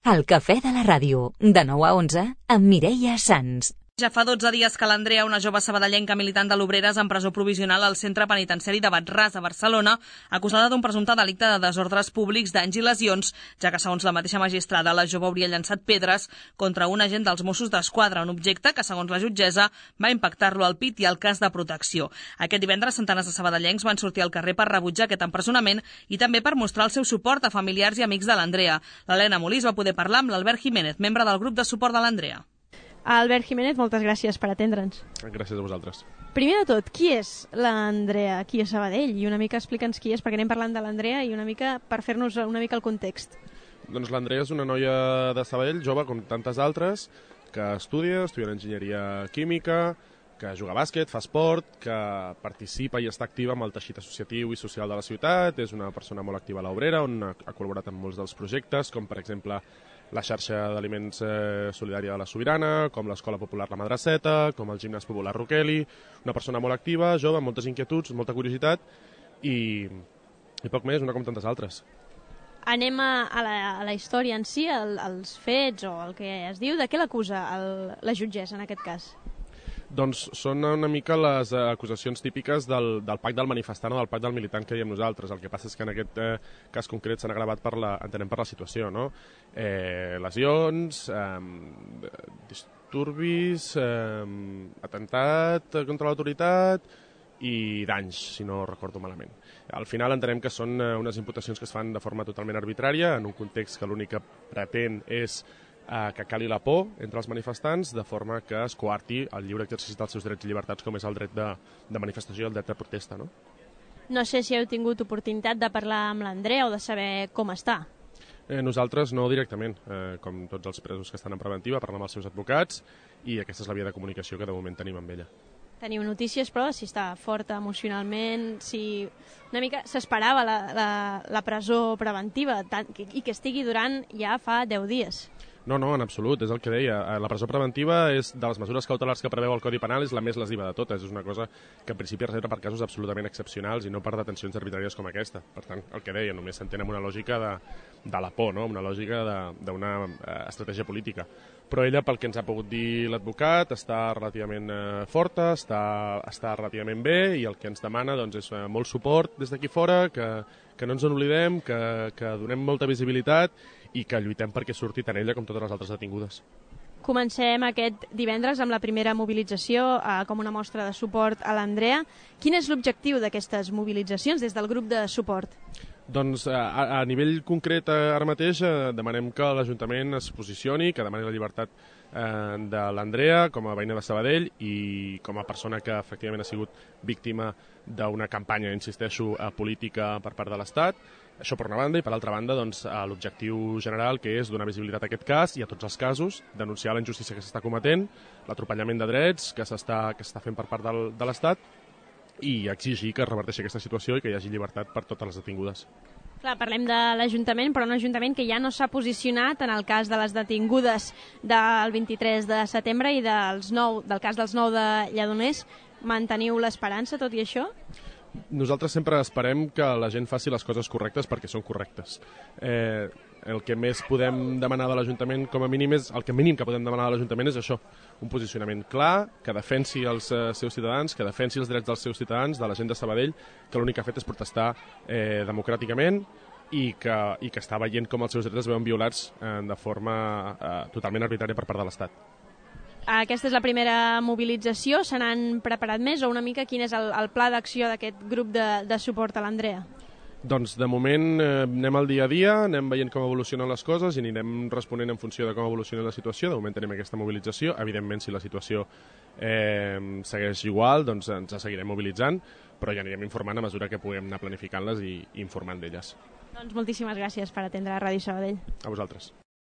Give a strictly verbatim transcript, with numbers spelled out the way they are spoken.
El cafè de la ràdio, de nou a onze, amb Mireia Sans. Ja fa dotze dies que l'Andrea, una jove sabadellenca militant de l'Obreres en presó provisional al centre penitenciari de Bat-ras, a Barcelona, acusada d'un presumpte delicte de desordres públics, danys i lesions, ja que, segons la mateixa magistrada, la jove hauria llançat pedres contra un agent dels Mossos d'Esquadra, un objecte que, segons la jutgessa, va impactar-lo al pit i al cas de protecció. Aquest divendres, centenars de sabadellencs van sortir al carrer per rebutjar aquest empresonament i també per mostrar el seu suport a familiars i amics de l'Andrea. L'Helena Molís va poder parlar amb l'Albert Jiménez, membre del grup de suport de l'Andrea. Albert Jiménez, moltes gràcies per atendre'ns. Gràcies a vosaltres. Primer de tot, qui és l'Andrea aquí a Sabadell? I una mica explica'ns qui és, perquè anem parlant de l'Andrea i una mica per fer-nos una mica el context. Doncs l'Andrea és una noia de Sabadell, jove com tantes altres, que estudia, estudia enginyeria química, que juga a bàsquet, fa esport, que participa i està activa amb el teixit associatiu i social de la ciutat, és una persona molt activa a l'Obrera, on ha col·laborat en molts dels projectes, com per exemple la xarxa d'aliments eh, solidària de la Sobirana, com l'Escola Popular La Madraceta, com el Gimnàs Popular Roqueli, una persona molt activa, jove, amb moltes inquietuds, molta curiositat i, i poc més, una com tantes altres. Anem a, a, la, a la història en si, el, els fets o el que es diu. De què l'acusa la jutgessa en aquest cas? Doncs són una mica les eh, acusacions típiques del, del pacte del manifestant o del pacte del militant que diem nosaltres. El que passa és que en aquest eh, cas concret s'han agravat per la, entenem per la situació, no? Eh, lesions, eh, disturbis, eh, atemptat contra l'autoritat i danys, si no recordo malament. Al final entenem que són eh, unes imputacions que es fan de forma totalment arbitrària, en un context que l'únic que pretén és que cali la por entre els manifestants de forma que es coarti el lliure exercici dels seus drets i llibertats, com és el dret de, de manifestació i el dret de protesta, no? No sé si heu tingut oportunitat de parlar amb l'Andrea o de saber com està. Eh, nosaltres no directament, eh, com tots els presos que estan en preventiva, parlem amb els seus advocats i aquesta és la via de comunicació que de moment tenim amb ella. Teniu notícies, però, si està forta emocionalment, si una mica s'esperava la, la, la presó preventiva tant, i que estigui durant ja fa deu dies. No, no, en absolut, és el que deia. La presó preventiva és de les mesures cautelars que preveu el Codi Penal, és la més lesiva de totes. És una cosa que en principi es reserva per casos absolutament excepcionals i no per detencions arbitràries com aquesta. Per tant, el que deia, només s'entén amb una lògica de, de la por, no? Una lògica d'una eh, estratègia política. Però ella, pel que ens ha pogut dir l'advocat, està relativament eh, forta, està, està relativament bé i el que ens demana doncs, és eh, molt suport des d'aquí fora, que, que no ens en oblidem, que, que donem molta visibilitat i que lluitem perquè surti tant ella com totes les altres detingudes. Comencem aquest divendres amb la primera mobilització eh, com una mostra de suport a l'Andrea. Quin és l'objectiu d'aquestes mobilitzacions des del grup de suport? Doncs a, a nivell concret ara mateix eh, demanem que l'Ajuntament es posicioni, que demani la llibertat eh, de l'Andrea com a veïna de Sabadell i com a persona que efectivament ha sigut víctima d'una campanya, insisteixo, política per part de l'Estat. Això per una banda, i per altra banda doncs, l'objectiu general, que és donar visibilitat a aquest cas i a tots els casos, denunciar la injustícia que s'està cometent, l'atropellament de drets que s'està que s'està fent per part del, de l'Estat i exigir que es reverteixi aquesta situació i que hi hagi llibertat per totes les detingudes. Clar, parlem de l'Ajuntament, però un Ajuntament que ja no s'ha posicionat en el cas de les detingudes del vint-i-tres de setembre i dels nou, del cas dels nou de Lledoners. Manteniu l'esperança, tot i això? Nosaltres sempre esperem que la gent faci les coses correctes perquè són correctes. Eh, el que més podem demanar de l'Ajuntament, com a mínim, és, el que mínim que podem demanar de l'Ajuntament és això, un posicionament clar, que defensi els eh, seus ciutadans, que defensi els drets dels seus ciutadans, de la gent de Sabadell, que l'únic que ha fet és protestar eh, democràticament i que, i que està veient com els seus drets es veuen violats eh, de forma eh, totalment arbitrària per part de l'Estat. Aquesta és la primera mobilització. Se n'han preparat més o una mica quin és el, el pla d'acció d'aquest grup de, de suport a l'Andrea? Doncs de moment eh, anem al dia a dia, anem veient com evolucionen les coses i anirem responent en funció de com evoluciona la situació. De moment tenim aquesta mobilització. Evidentment, si la situació eh, segueix igual, doncs ens seguirem mobilitzant, però ja anirem informant a mesura que puguem anar planificant-les i, i informant d'elles. Doncs moltíssimes gràcies per atendre a Ràdio Sabadell. A vosaltres.